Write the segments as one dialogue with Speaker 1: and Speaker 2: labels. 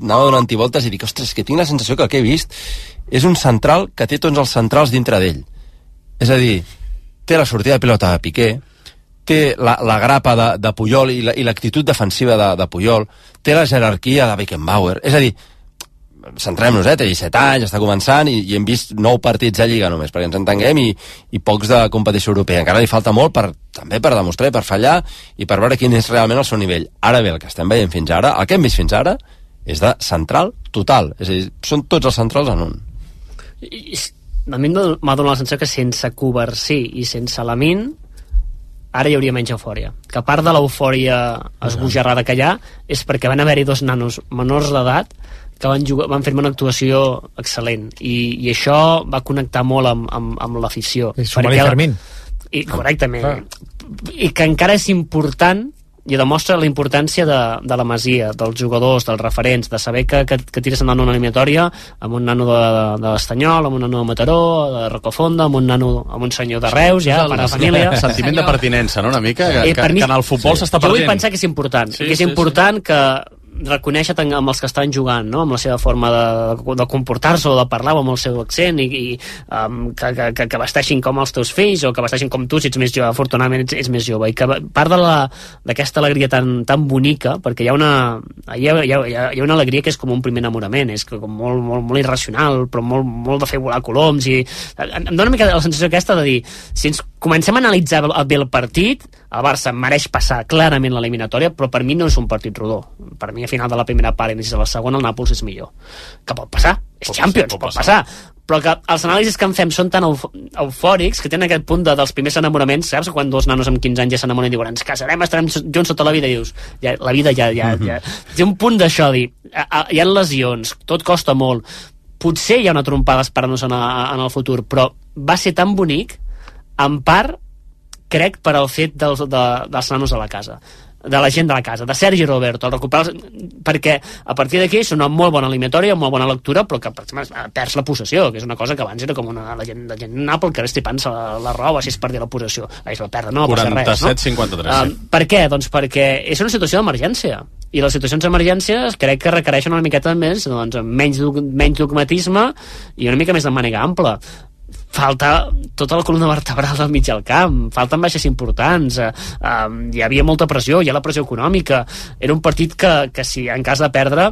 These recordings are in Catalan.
Speaker 1: anava donant voltes i dic, ostres, que tinc la sensació que el que he vist és un central que té tots els centrals dintre d'ell. És a dir, té la sortida de pilota de Piqué, té la grapa de Puyol i l'actitud defensiva de Puyol, té la jerarquia de Beckenbauer. És a dir, centrem-nos, té 17 anys, està començant i hem vist 9 partits de Lliga només, perquè ens entenguem, i pocs de competició europea. Encara li falta molt també per demostrar i per fallar i per veure quin és realment el seu nivell. Ara bé, el que estem veient fins ara, el que hem vist fins ara, és de central total. És a dir, són tots els centrals en un.
Speaker 2: A mi m'ha donat la sensació que sense Covarsí i sense Lamine ara hi hauria menys eufòria. Que a part de l'eufòria esbojarrada que hi ha és perquè van haver-hi 2 nanos menors d'edat que van fer una actuació excel·lent i això va connectar molt amb l'afició.
Speaker 3: I Somali Fermín.
Speaker 2: Correctament. I que encara és important i demostra la importància de la Masia, dels jugadors, dels referents, de saber que tires endavant una eliminatòria amb un nano de l'Estanyol, amb un nano de Mataró, de Rocafonda, amb un senyor de Reus, ja, per a la família.
Speaker 4: Sentiment de pertinença, no?, una mica, que en el futbol s'està perdent.
Speaker 2: Jo vull pensar que és important, que és important que reconèixer amb els que estan jugant, no?, amb la seva forma de comportar-se o de parlar amb el seu accent i que vesteixin com els teus fills o que vesteixin com tu si ets més jove, afortunadament ets més jove, i que part d'aquesta alegria tan bonica, perquè hi ha una alegria que és com un primer enamorament, és com molt, molt, molt irracional, però molt de fer volar coloms, i em dóna una mica la sensació aquesta de dir, si ens comencem a analitzar bé el partit, el Barça mereix passar clarament l'eliminatòria, però per mi no és un partit rodó. Per mi a final de la primera part i inici de la segona el Nàpols és millor. Que pot passar, és Champions, pot passar. Però que els anàlisis que en fem són tan eufòrics que tenen aquest punt dels primers enamoraments, saps? Quan 2 nanos amb 15 anys ja s'enamoren i diuen ens casarem, estarem junts tota la vida, i dius, la vida ja té un punt d'això, dir, hi ha lesions, tot costa molt, potser hi ha una trompada esperant-nos en el futur, però va ser tan bonic, en part crec per al fet dels nanos de la casa, de la gent de la casa, de Sergi Roberto, perquè a partir d'aquí és una molt bona eliminatòria, molt bona lectura, però que per exemple perds la possessió, que és una cosa que abans era com la gent Nàpols que ara estripant-se la roba si es perdia la possessió, és la perda, no passa res, no?
Speaker 4: 47-53.
Speaker 2: Per què? Doncs perquè és una situació d'emergència, i les situacions d'emergència crec que requereixen una miqueta més, menys dogmatisme i una mica més de màniga ampla. Falta tota la columna vertebral del mig del camp, falten baixes importants, hi havia molta pressió, hi ha la pressió econòmica, era un partit que si en cas de perdre,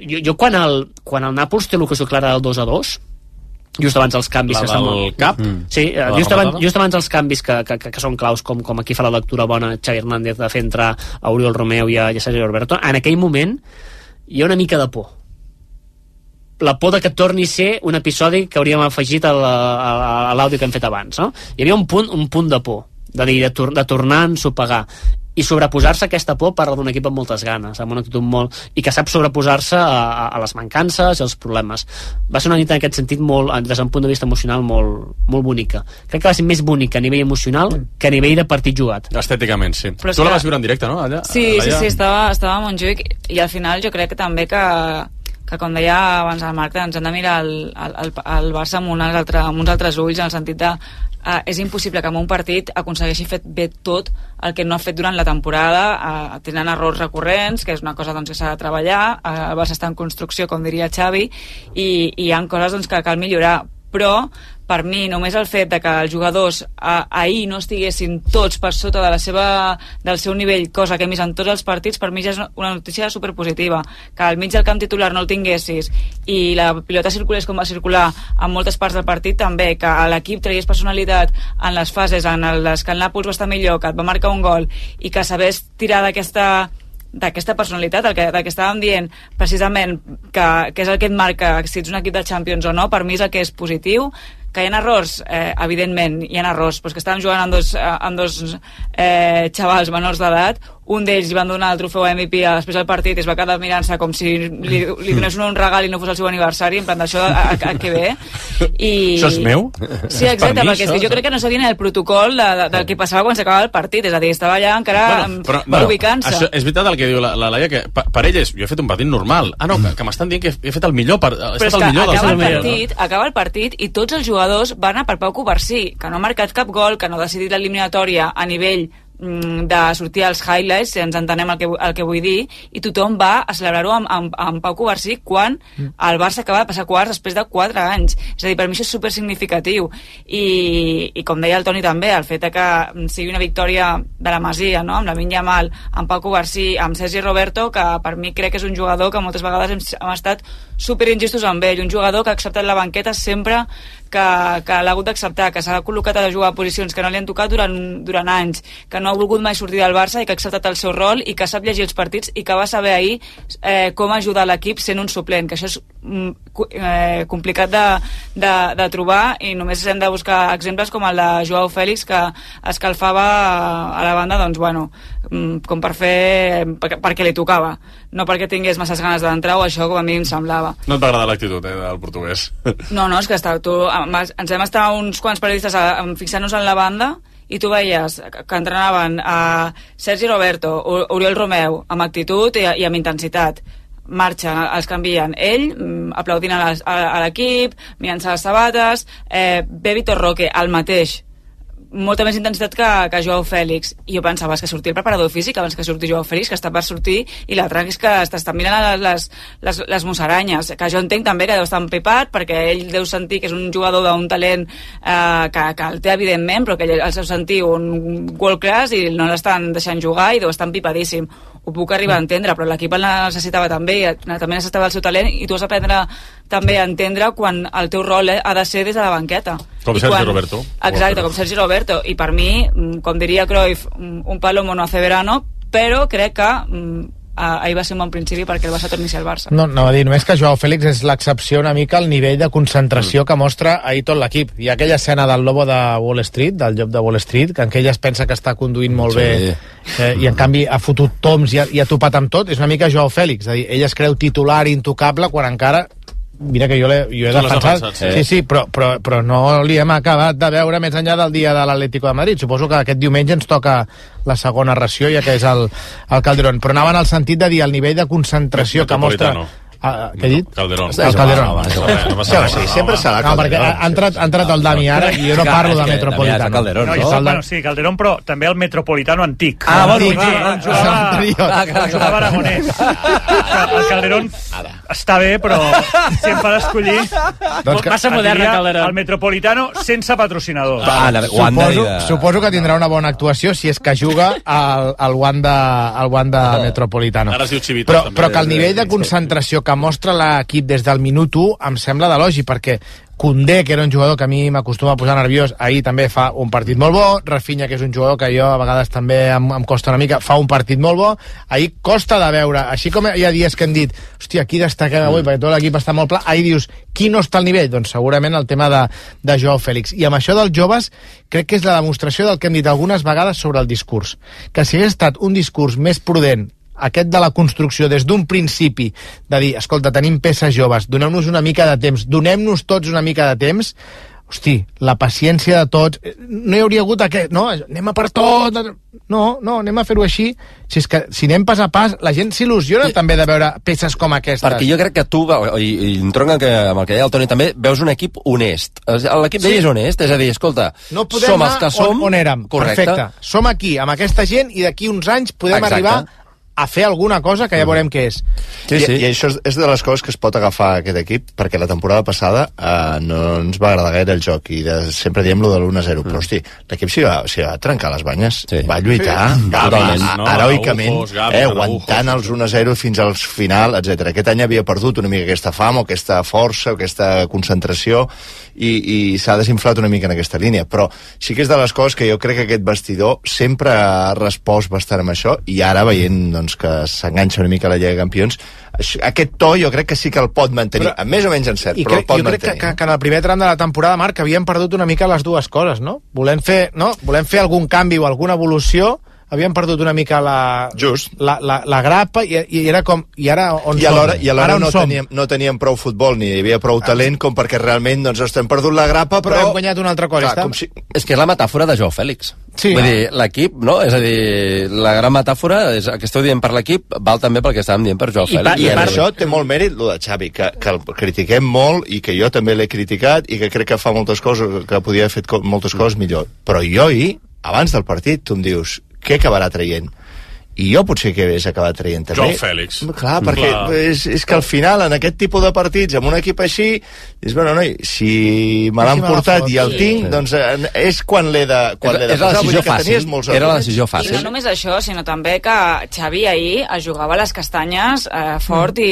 Speaker 2: jo quan el Nàpols té l'ocasió clara del 2-2, just abans dels canvis
Speaker 4: sí,
Speaker 2: just abans dels canvis que són claus, com aquí fa la lectura bona Xavi Hernández de fer entrar a Oriol Romeu i a Sergio Roberto, en aquell moment hi ha una mica de por, la por de que torni a ser un episodi que hauríem afegit a l'àudio que hem fet abans, no? Hi havia un punt de por, de tornar a ensopegar, i sobreposar-se a aquesta por parla d'un equip amb moltes ganes, amb una actitud i que sap sobreposar-se a les mancances i als problemes. Va ser una nit en aquest sentit des d'un punt de vista emocional molt bonica. Crec que va ser més bonica a nivell emocional que a nivell de partit jugat.
Speaker 4: Estèticament, sí. Però tu la vas viure en directe, no? Allà,
Speaker 5: sí, estava a Montjuïc, i al final jo crec que també que com deia abans el Marc, ens hem de mirar el Barça amb uns altres ulls, en el sentit de és impossible que en un partit aconsegueixi fer bé tot el que no ha fet durant la temporada, tenen errors recurrents, que és una cosa que s'ha de treballar, el Barça està en construcció, com diria Xavi, i hi ha coses que cal millorar, però per mi només el fet de que els jugadors ahir no estiguessin tots per sota del seu nivell, cosa que hem vist en tots els partits, per mi ja és una notícia superpositiva. Que al mig del camp titular no el tinguessis i la pilota circulés com va circular en moltes parts del partit, també, que l'equip tragués personalitat en les fases en les que el Nàpols va estar millor, que et va marcar un gol i que sabés tirar d'aquesta personalitat, el que estàvem dient precisament, que és el que et marca si ets un equip de Champions o no, per mi és el que és positiu. Que hi ha errors, evidentment hi ha errors, però és que estàvem jugant amb dos xavals menors d'edat, un d'ells li van donar el trofeu MVP després del partit i es va quedar mirant-se com si li donés un regal i no fos el seu aniversari, en plan d'això que ve.
Speaker 4: Això és meu?
Speaker 5: Sí, exacte, perquè és que jo crec que no sabien el protocol del que passava quan s'acabava el partit, és a dir, estava allà encara ubicant-se.
Speaker 4: És veritat el que diu la Laia, que per ell jo he fet un partit normal. No, que m'estan dient que he fet el millor,
Speaker 5: però és que acaba el partit i tots els jugadors van a per Pau Covarsí, que no ha marcat cap gol, que no ha decidit l'eliminatòria a nivell de sortir als highlights, si ens entenem el que vull dir, i tothom va a celebrar-ho amb Pau Covarsí quan el Barça acaba de passar quarts després de 4 anys. És a dir, per mi això és supersignificatiu. I com deia el Toni també, el fet que sigui una victòria de la Masia, no? Amb Lamine Yamal, amb Pau Covarsí, amb Sergi Roberto, que per mi crec que és un jugador que moltes vegades hem estat superinjustos amb ell, un jugador que ha acceptat la banqueta sempre que l'ha hagut d'acceptar, que s'ha col·locat a jugar a posicions que no li han tocat durant anys, que no ha volgut mai sortir del Barça i que ha acceptat el seu rol i que sap llegir els partits i que va saber ahir com ajudar l'equip sent un suplent, que això és complicat de trobar, i només hem de buscar exemples com el de Joao Félix, que escalfava a la banda, doncs bueno, com per fer perquè li tocava, no perquè tingués masses ganes d'entrar, o això com a mi em semblava.
Speaker 4: No et va agradar l'actitud del portuguès?
Speaker 5: No, és que ens vam estar uns quants periodistes fixant-nos en la banda i tu veies que entrenaven a Sergi Roberto, Oriol Romeu, amb actitud i amb intensitat. Marxen, els canvien. Ell, aplaudint a l'equip, mirant-se les sabates, ve Vitor Roque, el mateix, molta més intensitat que Joao Félix, i jo pensava que sortir el preparador físic abans que sortir Joao Félix, que està per sortir, i l'altre és que està mirant les musaranyes, que jo entenc també que deu estar empipat perquè ell deu sentir que és un jugador d'un talent que el té evidentment, però que ell el seu sentir un world class i no l'estan deixant jugar i deu estar empipadíssim. Ho puc arribar a entendre, però l'equip el necessitava també necessitava el seu talent, i tu has d'aprendre també a entendre quan el teu rol ha de ser des de la banqueta.
Speaker 4: Com Sergi Roberto.
Speaker 5: Exacte, com Sergi Roberto. I per mi, com diria Cruyff, un palomo no hace verano, però crec que ahir va ser un bon principi perquè el Barça torni al Barça.
Speaker 3: No va dir, només que Joao Félix és l'excepció una mica al nivell de concentració que mostra ahir tot l'equip. Hi ha aquella escena del Lobo de Wall Street, del llop de Wall Street, que en què ella es pensa que està conduint molt bé i en canvi ha fotut toms i ha topat amb tot. És una mica Joao Félix, és a dir, ell es creu titular intocable quan encara... Mira que jo he defensat, sí, però no li hem acabat de veure més enllà del dia de l'Atlético de Madrid. Suposo que aquest diumenge ens toca la segona ració, ja que és el Calderón, però anava en el sentit de dir el nivell de concentració que mostra... Què he dit?
Speaker 4: Calderón.
Speaker 3: El Calderón.
Speaker 6: Sí, sempre serà
Speaker 3: Calderón. Perquè ha entrat el Dani ara i jo no parlo de Metropolitano.
Speaker 7: Bueno, sí, Calderón, però també el Metropolitano antic.
Speaker 3: On
Speaker 7: jugava Aragonès. El Calderón està bé, però si em fa d'escollir...
Speaker 2: Massa moderna, Calderón.
Speaker 7: El Metropolitano sense patrocinador.
Speaker 3: Suposo que tindrà una bona actuació si és que juga al Wanda Metropolitano.
Speaker 4: Ara es diu Chivitas.
Speaker 3: Però que el nivell de concentració que mostra l'equip des del minut 1 em sembla d'elogi, perquè Koundé, que era un jugador que a mi m'acostuma a posar nerviós, ahir també fa un partit molt bo. Rafinha, que és un jugador que jo a vegades també em costa una mica, fa un partit molt bo. Ahir costa de veure, així com hi ha dies que hem dit hòstia, aquí destaquem avui perquè tot l'equip està molt pla, ahir dius, qui no està al nivell? Doncs segurament el tema de Joao Félix. I amb això dels joves crec que és la demostració del que hem dit algunes vegades sobre el discurs, que si hagués estat un discurs més prudent, aquest de la construcció des d'un principi, de dir, escolta, tenim peces joves, doneu-nos una mica de temps, donem-nos tots una mica de temps, hosti, la paciència de tots, no hi hauria hagut aquest, no, anem a per tot, no, anem a fer-ho així, si és que si anem pas a pas, la gent s'il·lusiona també de veure peces com aquestes.
Speaker 1: Perquè jo crec que tu, i entronca amb el que deia el Toni també, veus un equip honest. L'equip d'ell és honest, és a dir, escolta,
Speaker 3: no som els que som, on érem,
Speaker 1: correcte.
Speaker 3: Perfecte, som aquí, amb aquesta gent, i d'aquí uns anys podem arribar a fer alguna cosa que ja veurem què és.
Speaker 6: Sí. I això és de les coses que es pot agafar aquest equip, perquè la temporada passada no ens va agradar gaire el joc, i sempre diem lo de l'1-0, però hosti, l'equip s'hi va trencar les banyes, va lluitar heroicament, aguantant els 1-0 fins al final, etc. Aquest any havia perdut una mica aquesta fam, o aquesta força, o aquesta concentració, i s'ha desinflat una mica en aquesta línia, però sí que és de les coses que jo crec que aquest vestidor sempre ha respost bastant amb això, i ara veient doncs, que s'enganxa una mica a la Lliga de Campions, aquest to jo crec que sí que el pot mantenir, més o menys encert, però el pot mantenir.
Speaker 3: Jo crec que en el primer tram de la temporada, Marc, havíem perdut una mica les dues coses, no? Volem fer algun canvi o alguna evolució, havíem perdut una mica la grapa, i era com... I alhora no teníem prou futbol, ni hi havia prou talent com perquè realment doncs estem perdut la grapa, però hem guanyat una altra cosa.
Speaker 1: És que és la metàfora de Joao Félix.
Speaker 3: Sí.
Speaker 1: Vull dir, l'equip, no? És a dir, la gran metàfora, que esteu dient per l'equip, val també pel que estàvem dient per Joao Félix.
Speaker 6: I per això té molt mèrit lo de Xavi, que el critiquem molt, i que jo també l'he criticat, i que crec que fa moltes coses, que podia haver fet moltes coses millor. Però jo abans del partit, tu em dius, què acabarà traient? I jo potser que hagués acabat traient també.
Speaker 4: Joao Fèlix.
Speaker 6: Clar, perquè és que al final, en aquest tipus de partits, amb un equip així, és, bueno, noi, si me l'han portat i el tinc, doncs és quan l'he de posar.
Speaker 1: És la decisió fàcil. Era la decisió
Speaker 5: I
Speaker 1: fàcil.
Speaker 5: no només això, sinó també que Xavi ahir es jugava les castanyes fort i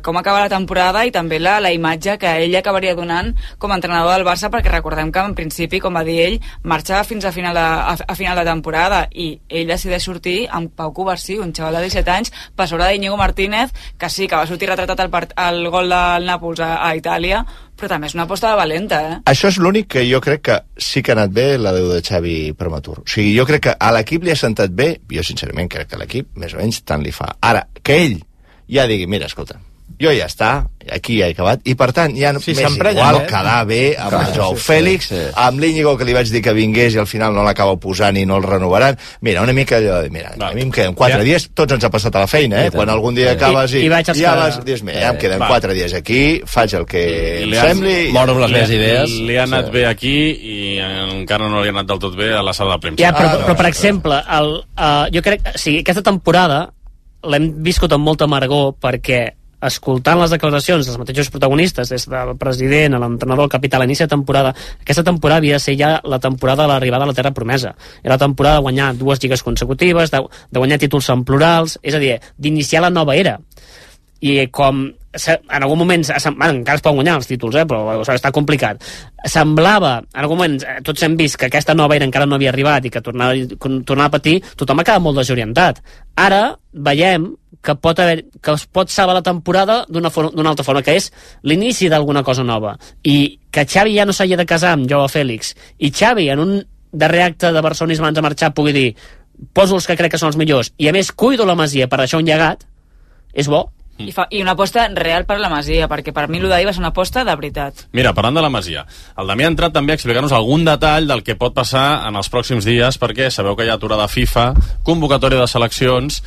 Speaker 5: com acaba la temporada i també la imatge que ell acabaria donant com a entrenador del Barça, perquè recordem que en principi, com va dir ell, marxava fins a final de temporada i ell decideix sortir amb Pau Covarsí, un xaval de 17 anys, per sobre d'Iñigo Martínez, que sí, que va sortir retratat el gol del Nàpols a Itàlia, però també és una aposta de valenta,
Speaker 6: Això és l'únic que jo crec que sí que ha anat bé la Déu de Xavi prematur. O sigui, jo crec que a l'equip li ha sentat bé, jo sincerament crec que a l'equip més o menys tant li fa. Ara, que ell ja digui, mira, escolta, jo ja està, aquí ja he acabat, i per tant ja m'és igual quedar bé amb el Joao Fèlix, amb l'Íñigo, que li vaig dir que vingués i al final no l'acaba posant i no el renovaran. Mira, una mica allò de, mira, a mi em queden 4 dies, tots ens ha passat a la feina, quan algun dia acabes i ja vas, dius, mira, ja em queden 4 dies aquí, faig el que em sembli.
Speaker 1: Moro amb les meves idees.
Speaker 4: Li ha anat bé aquí i encara no li ha anat del tot bé a la sala de premsa.
Speaker 2: Però per exemple, jo crec, sí, aquesta temporada l'hem viscut amb molta amargor perquè escoltant les declaracions dels mateixos protagonistes, des del president a l'entrenador, el capità, a l'inici de temporada, aquesta temporada havia de ser ja la temporada de l'arribada a la terra promesa. Era la temporada de guanyar 2 lligues consecutives, de guanyar títols en plurals, és a dir, d'iniciar la nova era. I com en algun moment, encara es poden guanyar els títols, però està complicat, semblava, en algun moment tots hem vist que aquesta nova era encara no havia arribat i que tornava a patir, tothom ha quedat molt desorientat. Ara veiem que es pot salvar la temporada d'una altra forma, que és l'inici d'alguna cosa nova, i que Xavi ja no s'hagi de casar amb Joao Fèlix, i Xavi en un darrer acte de barcelonisme abans de marxar pugui dir, poso els que crec que són els millors i a més cuido la Masia per deixar un llegat, és bo.
Speaker 5: I una aposta real per la Masia, perquè per mi l'Udai va ser una aposta de veritat.
Speaker 4: Mira, parlant de la Masia, el Damià ha entrat també a explicar-nos algun detall del que pot passar en els pròxims dies, perquè sabeu que hi ha aturada FIFA, convocatòria de seleccions,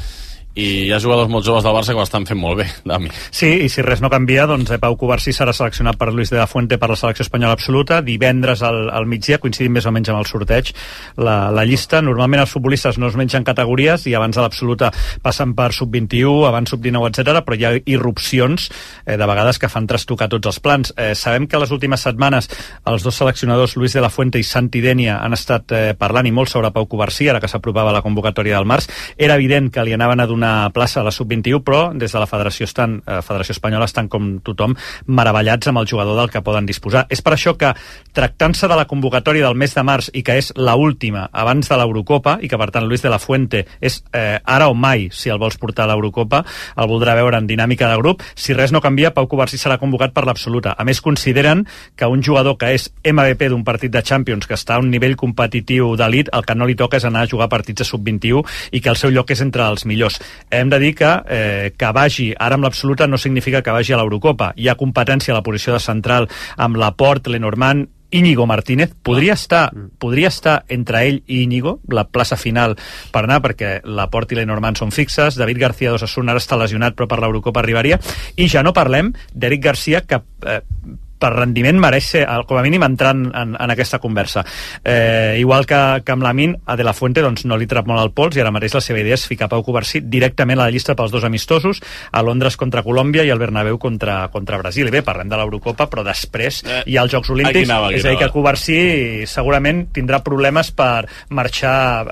Speaker 4: i hi ha jugadors molt joves del Barça que ho estan fent molt bé, Dami.
Speaker 7: Sí, i si res no canvia, doncs Pau Covarsí serà seleccionat per Luis de la Fuente per la selecció espanyola absoluta, divendres al migdia, coincidint més o menys amb el sorteig, la llista. Normalment els futbolistes no es mengen categories i abans de l'absoluta passen per sub-21, abans sub-19, etc, però hi ha irrupcions de vegades que fan trastocar tots els plans. Sabem que les últimes setmanes els dos seleccionadors, Luis de la Fuente i Santi Denia, han estat parlant i molt sobre Pau Covarsí, ara que s'apropava la convocatòria del març. Era evident que li anaven a donar plaça a la sub-21, però des de la Federació Espanyola estan com tothom meravellats amb el jugador del que poden disposar. És per això que, tractant-se de la convocatòria del mes de març i que és la última abans de l'Eurocopa, i que per tant Luis de la Fuente és ara o mai, si el vols portar a l'Eurocopa, el voldrà veure en dinàmica de grup. Si res no canvia, Pau Covarsí serà convocat per l'absoluta. A més, consideren que un jugador que és MVP d'un partit de Champions, que està a un nivell competitiu d'elit, el que no li toca és anar a jugar partits de sub-21 i que el seu lloc és entre els millors. Hem de dir que vagi ara amb l'absoluta no significa que vagi a l'Eurocopa. Hi ha competència a la posició de central amb Laporte, Lenormand, Íñigo Martínez. Podria estar entre ell i Íñigo la plaça final per anar, perquè Laporte i Lenormand són fixes. David García d'Osasuna ara està lesionat, però per l'Eurocopa arribaria. I ja no parlem d'Eric Garcia, que per rendiment mereix ser, com a mínim, entrant en aquesta conversa. Igual que amb Lamine, a De La Fuente doncs, no li trap molt el pols, i ara mateix la seva idea és ficar Pau Covarsí directament a la llista pels dos amistosos, a Londres contra Colòmbia i al Bernabéu contra Brasil. I bé, parlem de l'Eurocopa, però després hi ha els Jocs Olímpics, és a dir, que Covarsí segurament tindrà problemes per marxar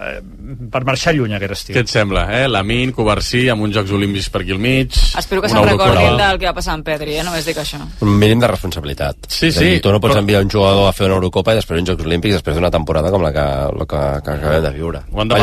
Speaker 7: lluny aquest estiu.
Speaker 4: Què et sembla, Lamine, Covarsí, amb uns Jocs Olímpics per aquí al mig...
Speaker 5: Espero que se'n recordin del que va passar amb Pedri, només dic això.
Speaker 1: Un mínim de responsabilitat.
Speaker 4: Sí.
Speaker 1: Tu no pots enviar un jugador a fer una Eurocopa i després uns Jocs Olímpics després d'una temporada com la que acabem de viure. Ho han
Speaker 4: de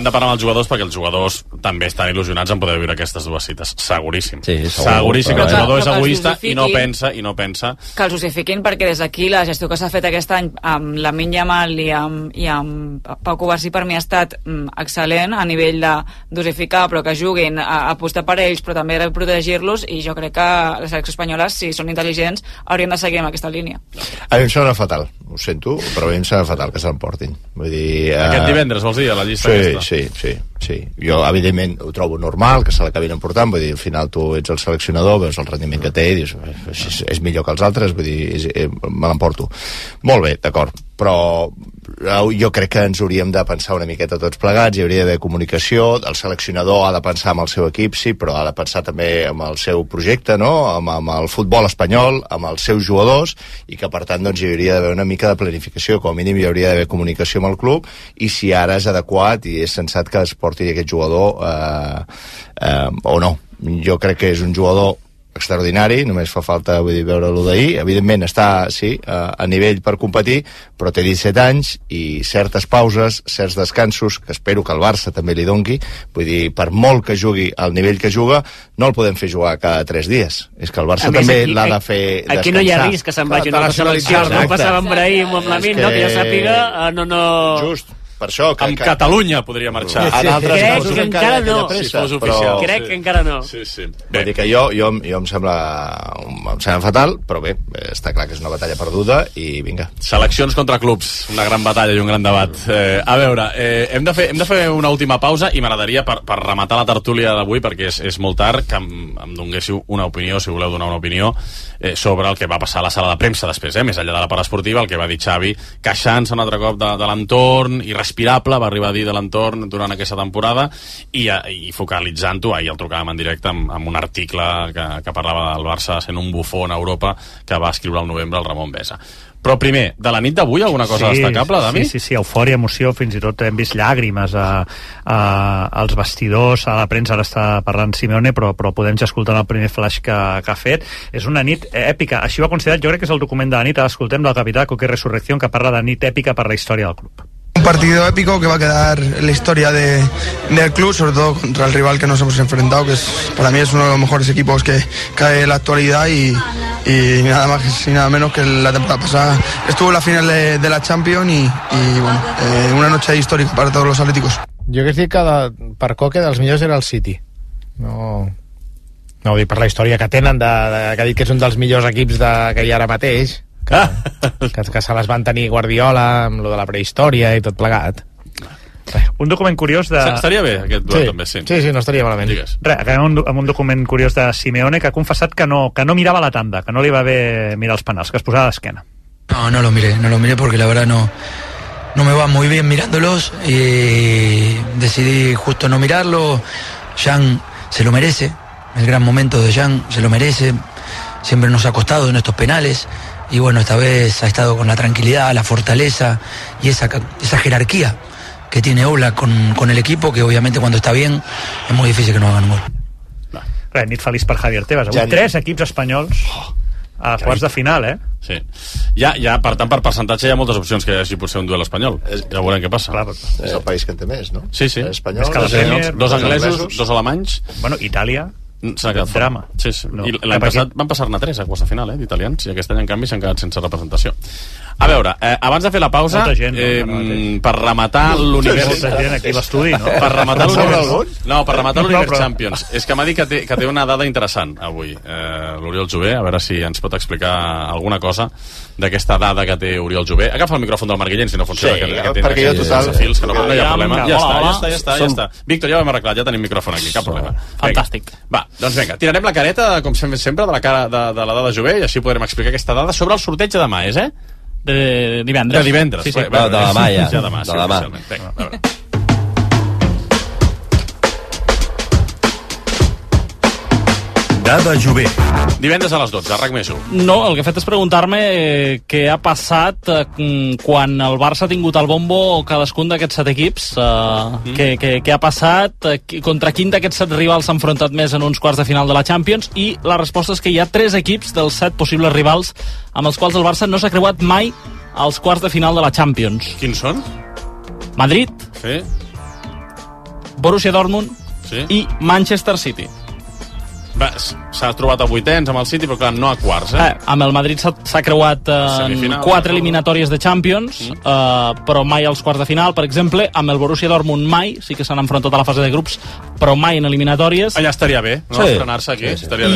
Speaker 4: parlar amb els jugadors, perquè els jugadors també estan il·lusionats en poder viure aquestes dues cites. Seguríssim. Sí, seguríssim que el jugador és egoista i no pensa...
Speaker 5: Que els justifiquin, perquè des d'aquí la gestió que s'ha fet aquest any amb Lamine Yamal i amb Pau Covarsí per mi ha estat excel·lent a nivell de dosificar, però que juguin, apostar per ells, però també de protegir-los, i jo crec que les seleccions espanyoles, si són intel·ligents, haurien de seguir amb aquesta línia.
Speaker 6: A mi em sembla fatal, ho sento, però a mi em sembla fatal que s'emportin. Vull dir...
Speaker 4: Aquest divendres, vols dir, a la llista aquesta?
Speaker 6: Sí. Sí, jo evidentment ho trobo normal que se l'acabin emportant, vull dir, al final tu ets el seleccionador, veus el rendiment que té i dius, és millor que els altres, vull dir, me l'emporto. Molt bé, d'acord, però jo crec que ens hauríem de pensar una miqueta tots plegats, hi hauria d'haver comunicació, el seleccionador ha de pensar en el seu equip, sí, però ha de pensar també en el seu projecte, no? amb el futbol espanyol, amb els seus jugadors, i que per tant doncs, hi hauria d'haver una mica de planificació, com a mínim hi hauria d'haver comunicació amb el club, i si ara és adequat i és sensat que es porti aquest jugador o no. Jo crec que és un jugador extraordinari, només fa falta veure-lo d'ahir, evidentment està a nivell per competir, però té 17 anys i certes pauses, certs descansos, que espero que el Barça també li dongui, vull dir, per molt que jugui al nivell que juga, no el podem fer jugar cada 3 dies, és que el Barça també l'ha de fer descansar.
Speaker 2: Aquí no hi ha risc que se'n vagi una selecció, no passava amb Brahim o amb Lamin, no, que ja sàpiga, no...
Speaker 6: Just, per això...
Speaker 4: Amb Catalunya podria marxar.
Speaker 2: Crec que encara no.
Speaker 4: Si fos oficial.
Speaker 2: Crec que encara no.
Speaker 4: Sí.
Speaker 6: Vull dir que jo em sembla fatal, però bé, està clar que és una batalla perduda i vinga.
Speaker 4: Seleccions contra clubs, una gran batalla i un gran debat. A veure, hem de fer una última pausa i m'agradaria, per rematar la tertúlia d'avui, perquè és molt tard, que em donguéssiu una opinió, si voleu donar una opinió, sobre el que va passar a la sala de premsa després, més enllà de la part esportiva, el que va dir Xavi, queixant-se un altre cop de l'entorn, irrespirable, va arribar a dir de l'entorn durant aquesta temporada, i focalitzant-ho, ahir el trucàvem en directe amb un article que parlava del Barça sent un bufó en Europa, que va escriure al novembre el Ramon Besa. Però primer, de la nit d'avui alguna cosa destacable, Dami?
Speaker 7: Sí, eufòria, emoció, fins i tot hem vist llàgrimes als vestidors, a la premsa, ara està parlant Simeone, però podem ja escoltar el primer flash que ha fet. És una nit èpica, així ho ha considerat, jo crec que és el document de la nit, escoltem del capità Coque Resurrección, que parla de nit èpica per la història del club.
Speaker 8: Un partido épico que va a quedar en la historia del club, sobre todo contra el rival que nos hemos enfrentado, que para mí es uno de los mejores equipos que hay en la actualidad y nada más y nada menos que la temporada pasada estuvo en la final de la Champions y bueno, una noche histórica para todos los atléticos.
Speaker 3: Jo que dic que per Coque dels millors era el City. No ho dic per la història que tenen, que ha dit que és un dels millors equips que hi ha ara mateix, que se les van tenir Guardiola amb lo de la prehistòria i tot plegat.
Speaker 7: Un document curiós de...
Speaker 4: Estaria bé aquest duel també, sí.
Speaker 3: Sí, no estaria malament.
Speaker 7: Acabem amb un document curiós de Simeone, que ha confessat que no mirava la tanda, que no li va bé mirar els penals, que es posava d'esquena.
Speaker 9: No lo miré porque la verdad no me va muy bien mirándolos y decidí justo no mirarlo. Jan se lo merece, el gran momento de Jan se lo merece, siempre nos ha costado en estos penales. Y bueno, esta vez ha estado con la tranquilidad, la fortaleza y esa jerarquía que tiene Oblak con el equipo, que obviamente cuando está bien es muy difícil que no hagan un gol.
Speaker 7: Nit feliç per Javier Tebas. Avui 3 equips espanyols a quarts de final,
Speaker 4: Sí. Ja, per tant, per percentatge hi ha moltes opcions que hi hagi potser un duel espanyol. Ja veurem què passa.
Speaker 6: És el país que en té més, no?
Speaker 4: Sí.
Speaker 6: Espanyol,
Speaker 4: dos anglesos, 2 alemanys.
Speaker 7: Bueno, Itàlia...
Speaker 4: S'ha quedat
Speaker 7: drama.
Speaker 4: Sí. No. I l'any passat van passar-ne 3 a quarts de final, d'italians, i aquest any, en canvi, s'han quedat sense representació. A veure, abans de fer la pausa, per rematar l'univers...
Speaker 7: Molta gent aquí a l'estudi, no?
Speaker 4: Per rematar l'univers... No, per rematar l'univers Champions. És que m'ha dit que té una dada interessant, avui, l'Oriol Jové, a veure si ens pot explicar alguna cosa d'aquesta dada que té Oriol Jové. Agafa el micròfon del Marc Guillén, si no funciona.
Speaker 6: Sí, perquè jo total...
Speaker 4: Fils, que no hi ha problema. Ja està. Víctor, ja ho hem arreglat, ja tenim micròfon aquí, cap problema.
Speaker 2: Fantàstic.
Speaker 4: Va, doncs vinga, tirarem la careta, com sempre, de la cara de la dada Jové, i així podrem explicar aquesta dada sobre el sorteig de demà,
Speaker 2: De divendres.
Speaker 4: De divendres.
Speaker 2: Sí.
Speaker 1: De demà, ja.
Speaker 4: De demà, sí,
Speaker 1: oficialment.
Speaker 4: Vinga, a veure.
Speaker 10: Dada Jové.
Speaker 4: Divendres a les 12, RAC més 1.
Speaker 2: No, el que he fet és preguntar-me què ha passat quan el Barça ha tingut el bombo cadascun d'aquests 7 equips. Què ha passat? Contra quin d'aquests 7 rivals s'ha enfrontat més en uns quarts de final de la Champions? I la resposta és que hi ha 3 equips dels 7 possibles rivals amb els quals el Barça no s'ha creuat mai als quarts de final de la Champions.
Speaker 4: Quins són?
Speaker 2: Madrid,
Speaker 4: Sí.
Speaker 2: Borussia Dortmund
Speaker 4: Sí.
Speaker 2: i Manchester City.
Speaker 4: s'ha trobat a vuitens amb el City, però clar, no a quarts.
Speaker 11: Amb el Madrid s'ha creuat en 4 eliminatòries de Champions, però mai als quarts de final. Per exemple, amb el Borussia Dortmund mai, sí que s'han enfrontat a la fase de grups, però mai en eliminatòries.
Speaker 4: Allà estaria bé, no? Estrenar-se aquí.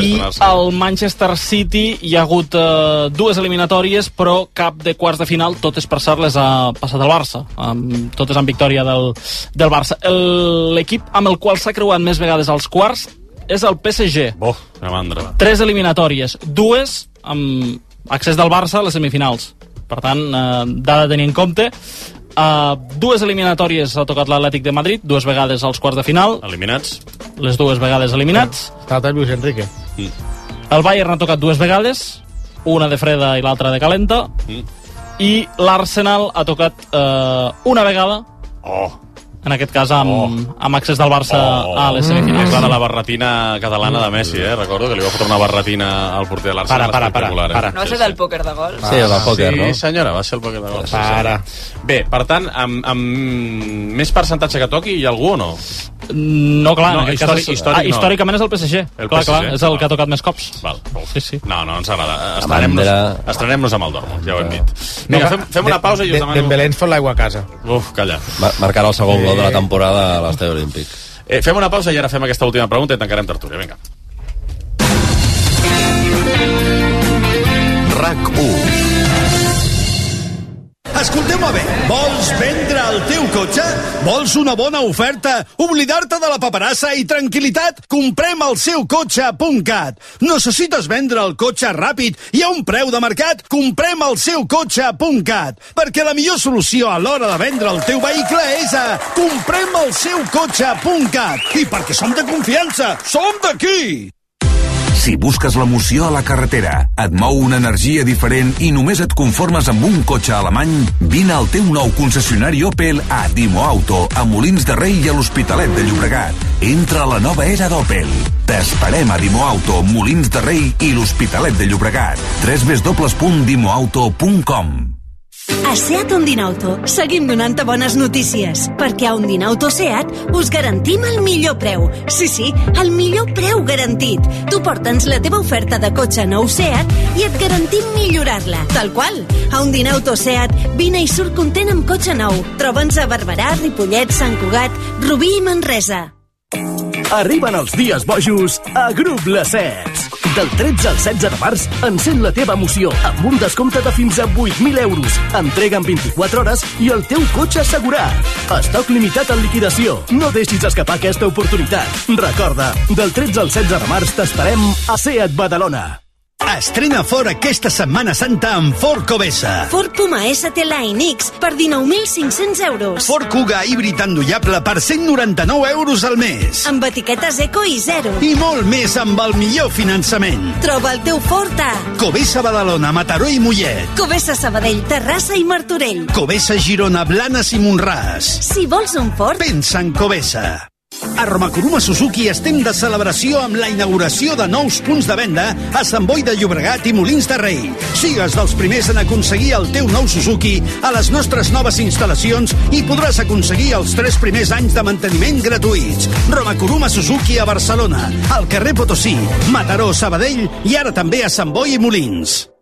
Speaker 11: I al Manchester City hi ha hagut 2 eliminatòries, però cap de quarts de final. Totes, per cert, les ha passat el Barça. Totes amb victòria del Barça. L'equip amb el qual s'ha creuat més vegades als quarts és el PSG. 3 eliminatòries, 2 amb accés del Barça a les semifinals. Per tant, dada a tenir en compte. 2 eliminatòries ha tocat l'Atlètic de Madrid, 2 vegades als quarts de final.
Speaker 4: Eliminats.
Speaker 11: Les 2 vegades eliminats.
Speaker 3: Està el Luis Enrique.
Speaker 11: El Bayern ha tocat 2 vegades, una de freda i l'altra de calenta. I l'Arsenal ha tocat una vegada, en aquest cas amb accés del Barça a les semifinals.
Speaker 4: És la barretina catalana de Messi, recordo que li va fotre una barretina al porter de l'Arsenal espectacular.
Speaker 5: No va ser del pòquer de gols?
Speaker 1: Sí, el pòquer, no?
Speaker 4: Sí, senyora, va ser el pòquer de gols. Bé, per tant, amb més percentatge que toqui, hi ha algú o no?
Speaker 11: No, clar, en aquest cas històricament és el PSG. Clar, és el que ha tocat més cops. Sí. No, ens agrada. Estrenem-nos amb el Dortmund, ja ho hem dit. Vinga, fem una pausa i us demano...
Speaker 3: Dembélé ens fot l'aigua a casa.
Speaker 4: Uf, calla.
Speaker 1: Marcarà el segon gol de la temporada a l'Estadi Olímpic.
Speaker 4: Fem una pausa i ara fem aquesta última pregunta i tancarem tertúlia. Vinga.
Speaker 12: RAC1. Escolteu-me bé, vols vendre el teu cotxe? Vols una bona oferta? Oblidar-te de la paperassa i tranquil·litat? Comprem el seukotxe.cat. Necessites vendre el cotxe ràpid i a un preu de mercat? Comprem el seukotxe.cat. Perquè la millor solució a l'hora de vendre el teu vehicle és a comprem el seukotxe.cat. I perquè som de confiança, som d'aquí!
Speaker 13: Si busques l'emoció a la carretera, et mou una energia diferent i només et conformes amb un cotxe alemany, vine al teu nou concessionari Opel a Dimo Auto, a Molins de Rei i a l'Hospitalet de Llobregat. Entra a la nova era d'Opel. T'esperem a Dimo Auto, Molins de Rei i l'Hospitalet de Llobregat. www.dimoauto.com.
Speaker 14: A SEAT Ondinauto seguim donant-te bones notícies, perquè a Ondinauto SEAT us garantim el millor preu. Sí, el millor preu garantit. Tu porta'ns la teva oferta de cotxe nou SEAT i et garantim millorar-la, tal qual. A Ondinauto SEAT, vine i surt content amb cotxe nou. Troba'ns a Barberà, Ripollet, Sant Cugat, Rubí i Manresa.
Speaker 15: Arriben els dies bojos a Grup Lacets. Del 13 al 16 de març, encén la teva emoció amb un descompte de fins a 8.000 euros. Entrega en 24 hores i el teu cotxe assegurat. Estoc limitat en liquidació. No deixis escapar aquesta oportunitat. Recorda, del 13 al 16 de març t'esperem a SEAT Badalona.
Speaker 12: Estrena Ford aquesta Setmana Santa amb Ford Cobesa.
Speaker 14: Ford Puma ST Line X per 19.500 euros.
Speaker 12: Ford Kuga híbrid endollable per 199 euros al mes.
Speaker 14: Amb etiquetes eco i zero.
Speaker 12: I molt més amb el millor finançament.
Speaker 14: Troba el teu Ford a
Speaker 12: Cobesa Badalona, Mataró i Mollet.
Speaker 14: Cobesa Sabadell, Terrassa i Martorell.
Speaker 12: Cobesa Girona, Blanes i Montràs.
Speaker 14: Si vols un Ford,
Speaker 12: pensa en Cobesa. A Romakuruma Suzuki estem de celebració amb la inauguració de nous punts de venda a Sant Boi de Llobregat i Molins de Rei. Sigues dels primers en aconseguir el teu nou Suzuki a les nostres noves instal·lacions i podràs aconseguir els 3 primers anys de manteniment gratuïts. Romakuruma Suzuki a Barcelona, al carrer Potosí, Mataró, Sabadell i ara també a Sant Boi i Molins.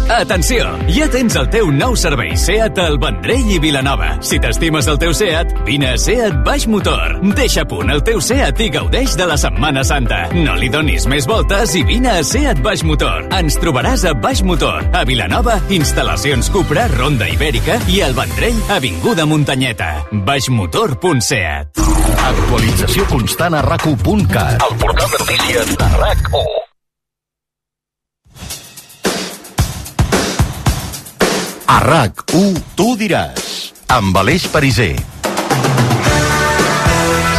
Speaker 16: Atenció! Ja tens el teu nou servei SEAT al Vendrell i Vilanova. Si t'estimes el teu SEAT, vine a SEAT Baix Motor. Deixa a punt el teu SEAT i gaudeix de la Setmana Santa. No li donis més voltes i vine a SEAT Baix Motor. Ens trobaràs a Baix Motor, a Vilanova, instal·lacions Cupra, Ronda Ibèrica i al Vendrell, avinguda Muntanyeta. baixmotor.seat.
Speaker 12: Actualització constant a RAC1.cat. El portal de notícies de RAC1. A RAC1, tu diràs, amb Aleix Pariser.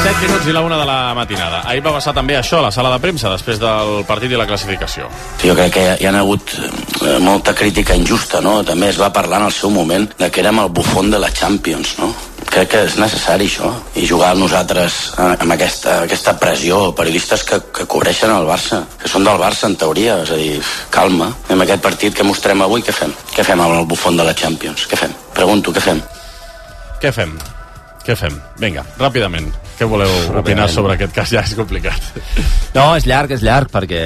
Speaker 4: 7 minuts i la 1 de la matinada. Ahir va passar també això a la sala de premsa, després del partit i la classificació.
Speaker 17: Jo crec que hi ha hagut molta crítica injusta, no? També es va parlar en el seu moment de que érem el bufón de la Champions, no? Crec que és necessari això, i jugar nosaltres amb aquesta pressió, periodistes que cobreixen el Barça, que són del Barça en teoria, és a dir, calma, amb aquest partit que mostrem avui, què fem? Què fem amb el bufón de la Champions? Què fem? Pregunto, què fem?
Speaker 4: Què fem? Vinga, ràpidament. Què voleu opinar sobre aquest cas? Ja és complicat.
Speaker 1: No, és llarg, perquè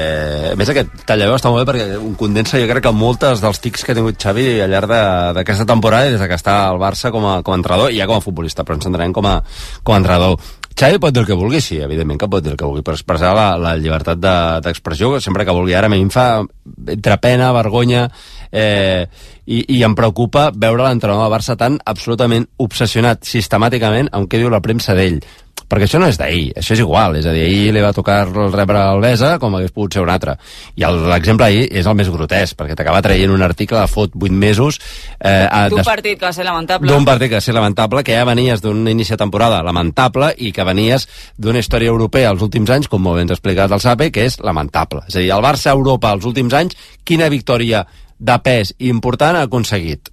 Speaker 1: a més aquest tallaveu està molt bé perquè un condensa jo crec que moltes dels tics que ha tingut Xavi al llarg d'aquesta temporada des que està al Barça com a entrenador i ja com a futbolista, però ens entenem com a entrenador. Xavi pot dir el que vulgui, sí, evidentment que pot dir el que vulgui, però expressar la llibertat d'expressió sempre que vulgui. Ara a mi em fa entre pena, vergonya, i em preocupa veure l'entrenador del Barça tan absolutament obsessionat sistemàticament amb què diu la premsa d'ell. Perquè això no és d'ahir, això és igual, és a dir, ahir li va tocar rebre el Besa com hagués pogut ser un altre. I l'exemple ahir és el més grotesc, perquè t'acaba traient un article de fot 8 mesos...
Speaker 5: d'un partit que va ser lamentable.
Speaker 1: D'un partit que va ser lamentable, que ja venies d'un inici de temporada lamentable i que venies d'una història europea als últims anys, com molt ben explicat el Sape, que és lamentable. És a dir, el Barça a Europa als últims anys, quina victòria de pes important ha aconseguit?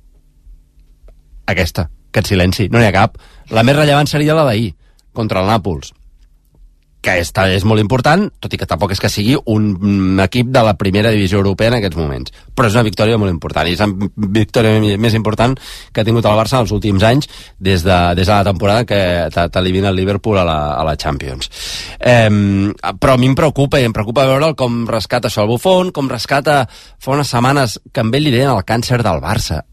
Speaker 1: Aquesta, aquest silenci, no n'hi ha cap. La més rellevant seria la d'ahir, contra el Nàpols, que és molt important, tot i que tampoc és que sigui un equip de la primera divisió europea en aquests moments, però és una victòria molt important, i és la victòria més important que ha tingut el Barça els últims anys des de la temporada que t'elimina el Liverpool a la Champions. Però a mi em preocupa veure'l com rescata això el Buffon, com rescata fa unes setmanes que amb ell li deien el càncer del Barça,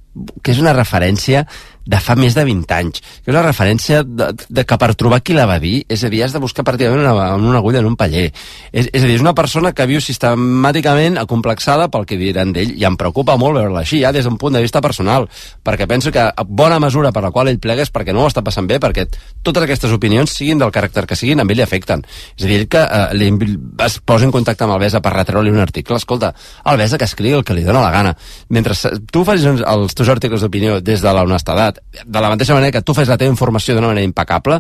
Speaker 1: que és una referència de fa més de 20 anys, que és una referència de que per trobar qui la va dir, és a dir, has de buscar pràcticament una agulla en un paller. És a dir, és una persona que viu sistemàticament acomplexada pel que diran d'ell, i em preocupa molt veure-la així, ja des d'un punt de vista personal, perquè penso que bona mesura per la qual ell plega és perquè no ho està passant bé, perquè totes aquestes opinions, siguin del caràcter que siguin, amb ell li afecten. És a dir, que es posa en contacte amb el Besa per retreure-li un article. Escolta, el Besa que escrigui el que li dona la gana. Mentre tu facis els teus articles d'opinió des de l'honestedat, de la mateixa manera que tu fes la teva informació d'una manera impecable,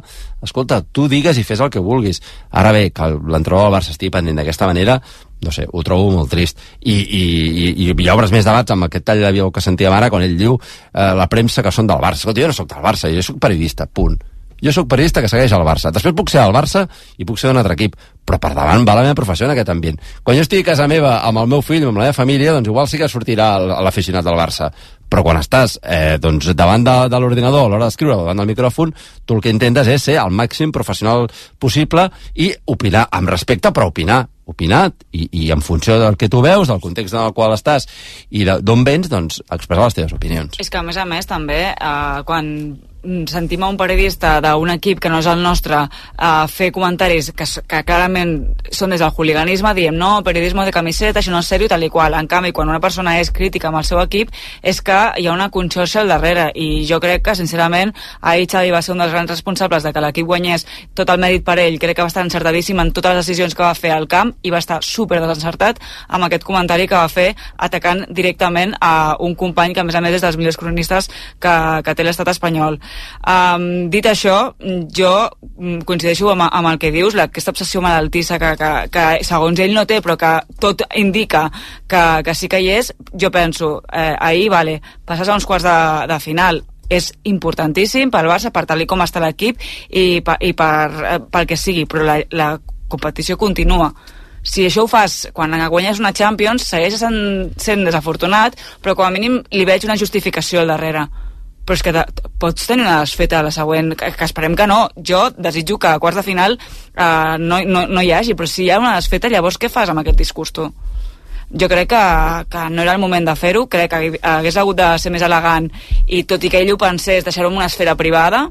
Speaker 1: escolta, tu digues i fes el que vulguis. Ara bé, que l'entrenador del Barça estigui pendent d'aquesta manera, no sé, ho trobo molt trist. I hi obres més debats amb aquest tall de veu que sentíem ara, quan ell diu la premsa que són del Barça. Escolta, jo no soc del Barça, jo soc periodista, punt. Jo soc periodista que segueix el Barça. Després puc ser del Barça i puc ser d'un altre equip, però per davant va la meva professió en aquest ambient. Quan jo estigui a casa meva amb el meu fill o amb la meva família, doncs igual sí que sortirà l'aficionat del Barça. Però quan estàs davant de l'ordinador a l'hora d'escriure o davant del micròfon, tu el que intentes és ser el màxim professional possible i opinar amb respecte, però opinar i en funció del que tu veus, del context en el qual estàs i d'on vens, doncs expressar les teves opinions.
Speaker 5: És que a més també, quan sentim a un periodista d'un equip que no és el nostre fer comentaris que clarament són des del hooliganisme, diem no, periodisme de camiseta, això no és seriós, tal i qual. En canvi, quan una persona és crítica amb el seu equip, és que hi ha una conxorxa al darrere, i jo crec que sincerament ahir Xavi va ser un dels grans responsables de que l'equip guanyés, tot el mèrit per ell, crec que va estar encertadíssim en totes les decisions que va fer al camp i va estar super desencertat amb aquest comentari que va fer atacant directament a un company que a més és dels millors cronistes que té l'estat espanyol. Dit això, jo coincideixo amb el que dius, aquesta obsessió malaltissa que segons ell no té però que tot indica que sí que hi és. Jo penso, ahir passes a uns quarts de final, és importantíssim pel Barça, per tal com està l'equip i pel que sigui, però la competició continua. Si això ho fas quan guanyes una Champions, segueix sent desafortunat, però com a mínim li veig una justificació al darrere. Però és que pots tenir una desfeta a la següent, que esperem que no. Jo desitjo que a quarts de final no hi hagi, però si hi ha una desfeta, llavors què fas amb aquest discurs tu? Jo crec que no era el moment de fer-ho, crec que hagués hagut de ser més elegant i tot i que ell ho pensés, deixar-ho en una esfera privada,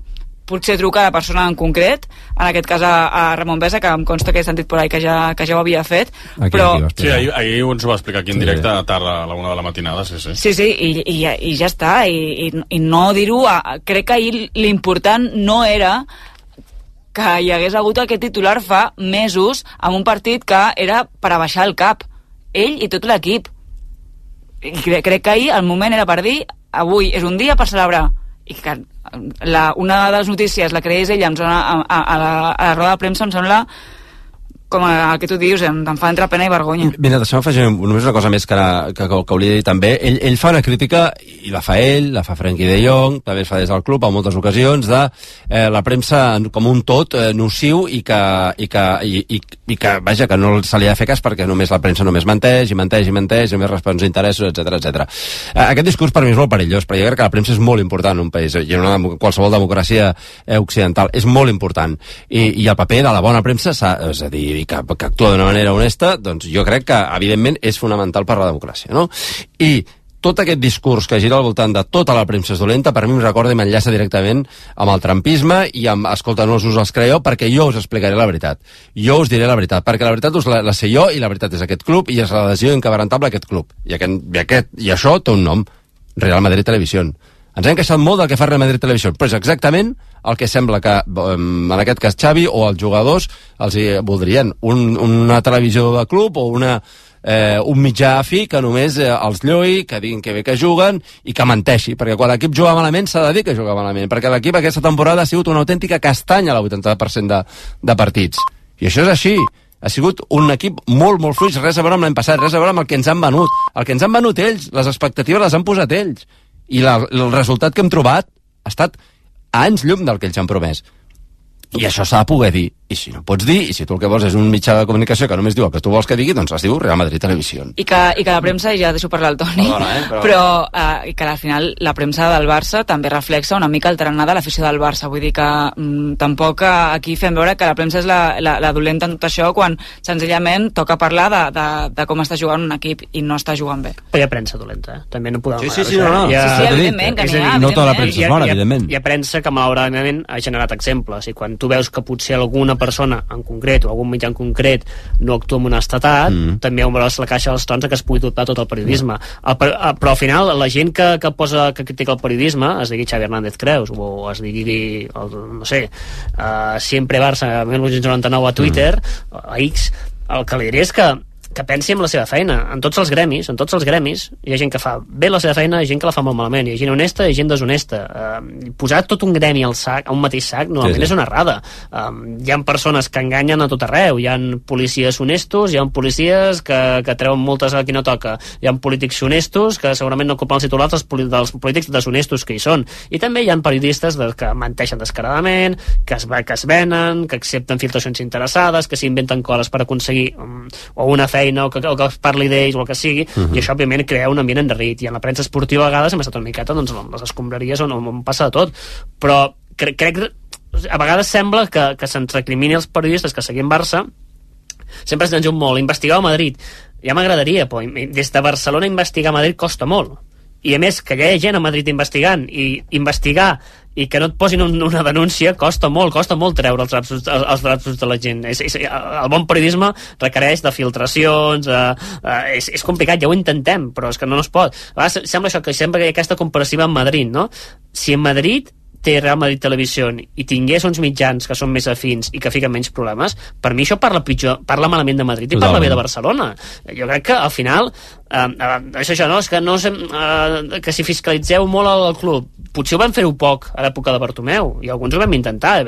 Speaker 5: potser truca a la persona en concret, en aquest cas a Ramon Besa, que em consta que he sentit per ahí que ja ho havia fet, però...
Speaker 4: Sí, ahir ens ho va explicar aquí en directe a tarda, a la 1 de la matinada, sí.
Speaker 5: Sí, i ja està, i no dir-ho... Crec que ahir l'important no era que hi hagués hagut aquest titular fa mesos amb un partit que era per abaixar el cap, ell i tot l'equip. I crec que ahir el moment era per dir avui és un dia per celebrar, i que una de les notícies la creés ella a la roda de premsa em sembla com el que tu dius, em fa entre pena i vergonya.
Speaker 1: Mira, deixa'm afegir només una cosa més que hauria de dir també. Ell fa una crítica, i la fa ell, la fa Frenkie de Jong, també es fa des del club en moltes ocasions, de la premsa com un tot nociu i que vaja, que no se li ha de fer cas perquè només la premsa només menteix, només respon als interessos, etc. Aquest discurs per mi és molt perillós, però jo crec que la premsa és molt important en un país, i en qualsevol democràcia occidental, és molt important. I el paper de la bona premsa, és a dir, que actua d'una manera honesta, doncs jo crec que, evidentment, és fonamental per la democràcia, no? I tot aquest discurs que gira al voltant de tota la premsa és dolenta, per mi em recorda i m'enllaça directament amb el trumpisme i amb, escolta, no us els creieu, perquè jo us explicaré la veritat. Jo us diré la veritat, perquè la veritat la sé jo i la veritat és aquest club i és l'adhesió inquebrantable a aquest club. I això té un nom, Real Madrid Televisió. Ens hem queixat molt del que fa Real Madrid Televisió, però és exactament el que sembla que, en aquest cas Xavi o els jugadors, els voldrien. Una televisió de club o un mitjà afí que només els lloi, que diguin que bé que juguen i que menteixi, perquè quan l'equip juga malament s'ha de dir que juga malament, perquè l'equip aquesta temporada ha sigut una autèntica castanya a l'80% de partits. I això és així. Ha sigut un equip molt, molt fluix, res a veure amb l'any passat, res a veure amb el que ens han venut. El que ens han venut ells, les expectatives les han posat ells. I el resultat que hem trobat ha estat a anys llum del que ells han promès. I això s'ha de poder dir. I si no pots dir, i si tu el que vols és un mitjà de comunicació que només diu el que tu vols que digui, doncs es diu Real Madrid Televisió.
Speaker 5: I que la premsa, ja deixo parlar el Toni, però que al final la premsa del Barça també reflexa una mica el tarannà de l'afició del Barça. Vull dir que tampoc aquí fem veure que la premsa és la dolenta en tot això, quan senzillament toca parlar de com està jugant un equip i no està jugant bé.
Speaker 2: Però hi ha premsa dolenta, també no podem...
Speaker 5: Sí, evidentment, que n'hi ha.
Speaker 1: No tota la premsa és bona, evidentment.
Speaker 2: Hi ha premsa que malauradament ha generat exemples, i quan tu veus que potser alguna persona en concret o algun mitjà en concret no actua amb honestedat, també veuràs la caixa dels trons que es pugui dotar tot el periodisme. Però al final la gent que critica el periodisme, es digui Xavi Hernández Creus o es digui, no sé, Siempre Barça 1999 a Twitter, a X, el que li diré és que pensi en la seva feina, en tots els gremis hi ha gent que fa bé la seva feina i gent que la fa molt malament, hi ha gent honesta i gent deshonesta. Posar tot un gremi a un mateix sac normalment és una errada. Hi ha persones que enganyen a tot arreu, hi ha policies honestos, hi ha policies que treuen multes a qui no toca, hi ha polítics honestos que segurament no ocupen els titulars dels polítics deshonestos que hi són, i també hi ha periodistes que menteixen descaradament, que es venen, que accepten filtracions interessades, que s'inventen coses per aconseguir o una feina o que es parli d'ells o el que sigui, i això òbviament crea un ambient endarrit, i en la premsa esportiva a vegades hem estat una miqueta doncs, les escombraries on passa de tot, però crec a vegades sembla que se'ns recrimini els periodistes que seguim Barça, sempre ens diu molt, investigar a Madrid, ja m'agradaria, però des de Barcelona investigar a Madrid costa molt, i a més que hi ha gent a Madrid investigant, i investigar i que no et posin una denúncia costa molt treure els drapsos de la gent. El bon periodisme requereix de filtracions, és complicat, ja ho intentem, però és que no es pot. A vegades sembla això, que sempre hi ha aquesta comparativa amb Madrid, no? Si en Madrid té Real Madrid Televisió i tingués uns mitjans que són més afins i que fiquen menys problemes, per mi això parla malament de Madrid i parla bé de Barcelona. Jo crec que al final és això, no? És que, que si fiscalitzeu molt el club, potser ho vam fer-ho poc a l'època de Bartomeu, i alguns ho vam intentar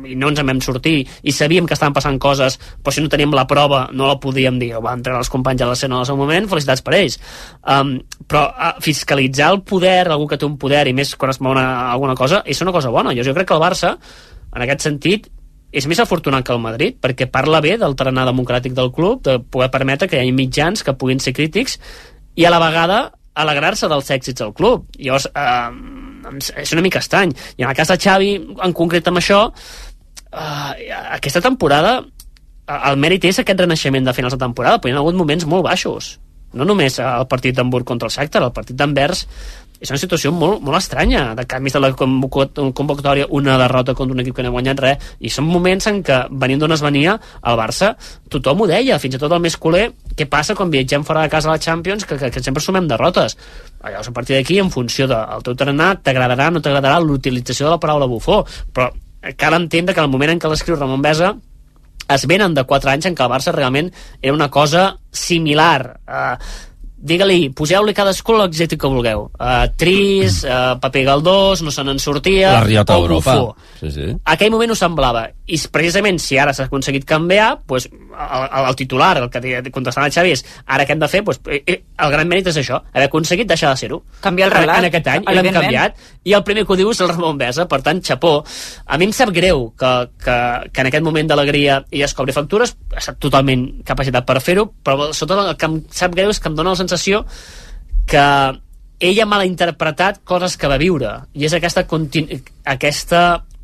Speaker 2: i no ens en vam sortir, i sabíem que estaven passant coses, però si no teníem la prova no la podíem dir, o van treure els companys a l'escena al seu moment, felicitats per ells. Però fiscalitzar el poder, algú que té un poder, i més quan es mou alguna cosa, és una cosa bona. Jo crec que el Barça, en aquest sentit, és més afortunat que el Madrid, perquè parla bé del tarannà democràtic del club, de poder permetre que hi hagi mitjans que puguin ser crítics i a la vegada alegrar-se dels èxits del club. Llavors, és una mica estrany. I en el cas de Xavi, en concret amb això, aquesta temporada, el mèrit és aquest renaixement de finals de temporada, però hi ha hagut moments molt baixos. No només el partit d'Hamburg contra el Shakhtar, el partit d'Anvers és una situació molt, molt estranya, de canvis de la convocatòria, una derrota contra un equip que no ha guanyat res, i són moments en què, venint d'on es venia, el Barça, tothom ho deia, fins i tot el més culer, què passa quan viatgem fora de casa a la Champions, que sempre sumem derrotes. Llavors, a partir d'aquí, en funció del teu tarannà, t'agradarà o no t'agradarà l'utilització de la paraula bufó, però cal entendre que en el moment en què l'escriu Ramon Besa es venen de 4 anys en què el Barça realment era una cosa similar. digue-li, poseu-li cadascú l'exèctic que vulgueu. Tris, paper galdós, no se n'en sortia...
Speaker 1: La riota d'Europa. Sí.
Speaker 2: Aquell moment ho semblava. I precisament, si ara s'ha aconseguit canviar, pues, el titular, el que contestava el Xavi és, ara què hem de fer? Pues, el gran mèrit és això, haver aconseguit deixar de ser-ho.
Speaker 5: Canviar el relat.
Speaker 2: En aquest any, i l'hem canviat. I el primer que ho diu és el Ramon Besa, per tant, xapó. A mi em sap greu que en aquest moment d'alegria i es cobri factures, ha estat totalment capacitat per fer-ho, però sobretot el que em sap greu és que em dóna la sensació que ell ha malinterpretat coses que va viure, i és aquesta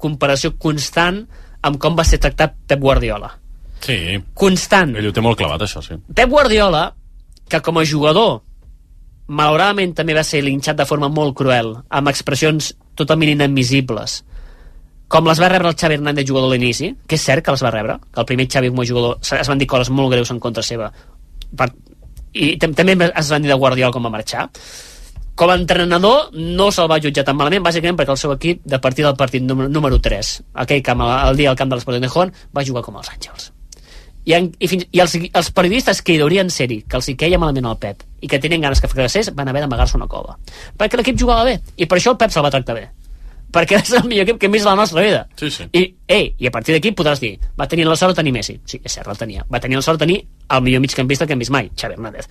Speaker 2: comparació constant amb com va ser tractat Pep Guardiola.
Speaker 4: Sí.
Speaker 2: Constant.
Speaker 4: Ell ho té molt clavat, això, sí.
Speaker 2: Pep Guardiola, que com a jugador malauradament també va ser linxat de forma molt cruel, amb expressions totalment inadmissibles, com les va rebre el Xavi Hernández jugador a l'inici, que és cert que les va rebre, que el primer Xavi com a jugador es van dir coses molt greus en contra seva, i també es van dir de Guardiola com va marxar. Com a entrenador no se'l va jutjar tan malament, bàsicament perquè el seu equip, de partir del partit número 3, aquell camp, el dia al camp de l'Sporting de Gijón, va jugar com els Àngels. I els periodistes que hi deurien ser-hi, que els hi queia malament al Pep i que tenien ganes que fracassés, van haver d'amagar-se una cova, perquè l'equip jugava bé, i per això el Pep se'l va tractar bé, perquè és el millor equip que hem vist a la nostra vida.
Speaker 4: Sí, sí.
Speaker 2: I a partir d'aquí podràs dir, va tenir la sort de tenir Messi. Sí, és cert, el tenia. Va tenir la sort de tenir el millor migcampista que hem vist mai, Xavi Hernández.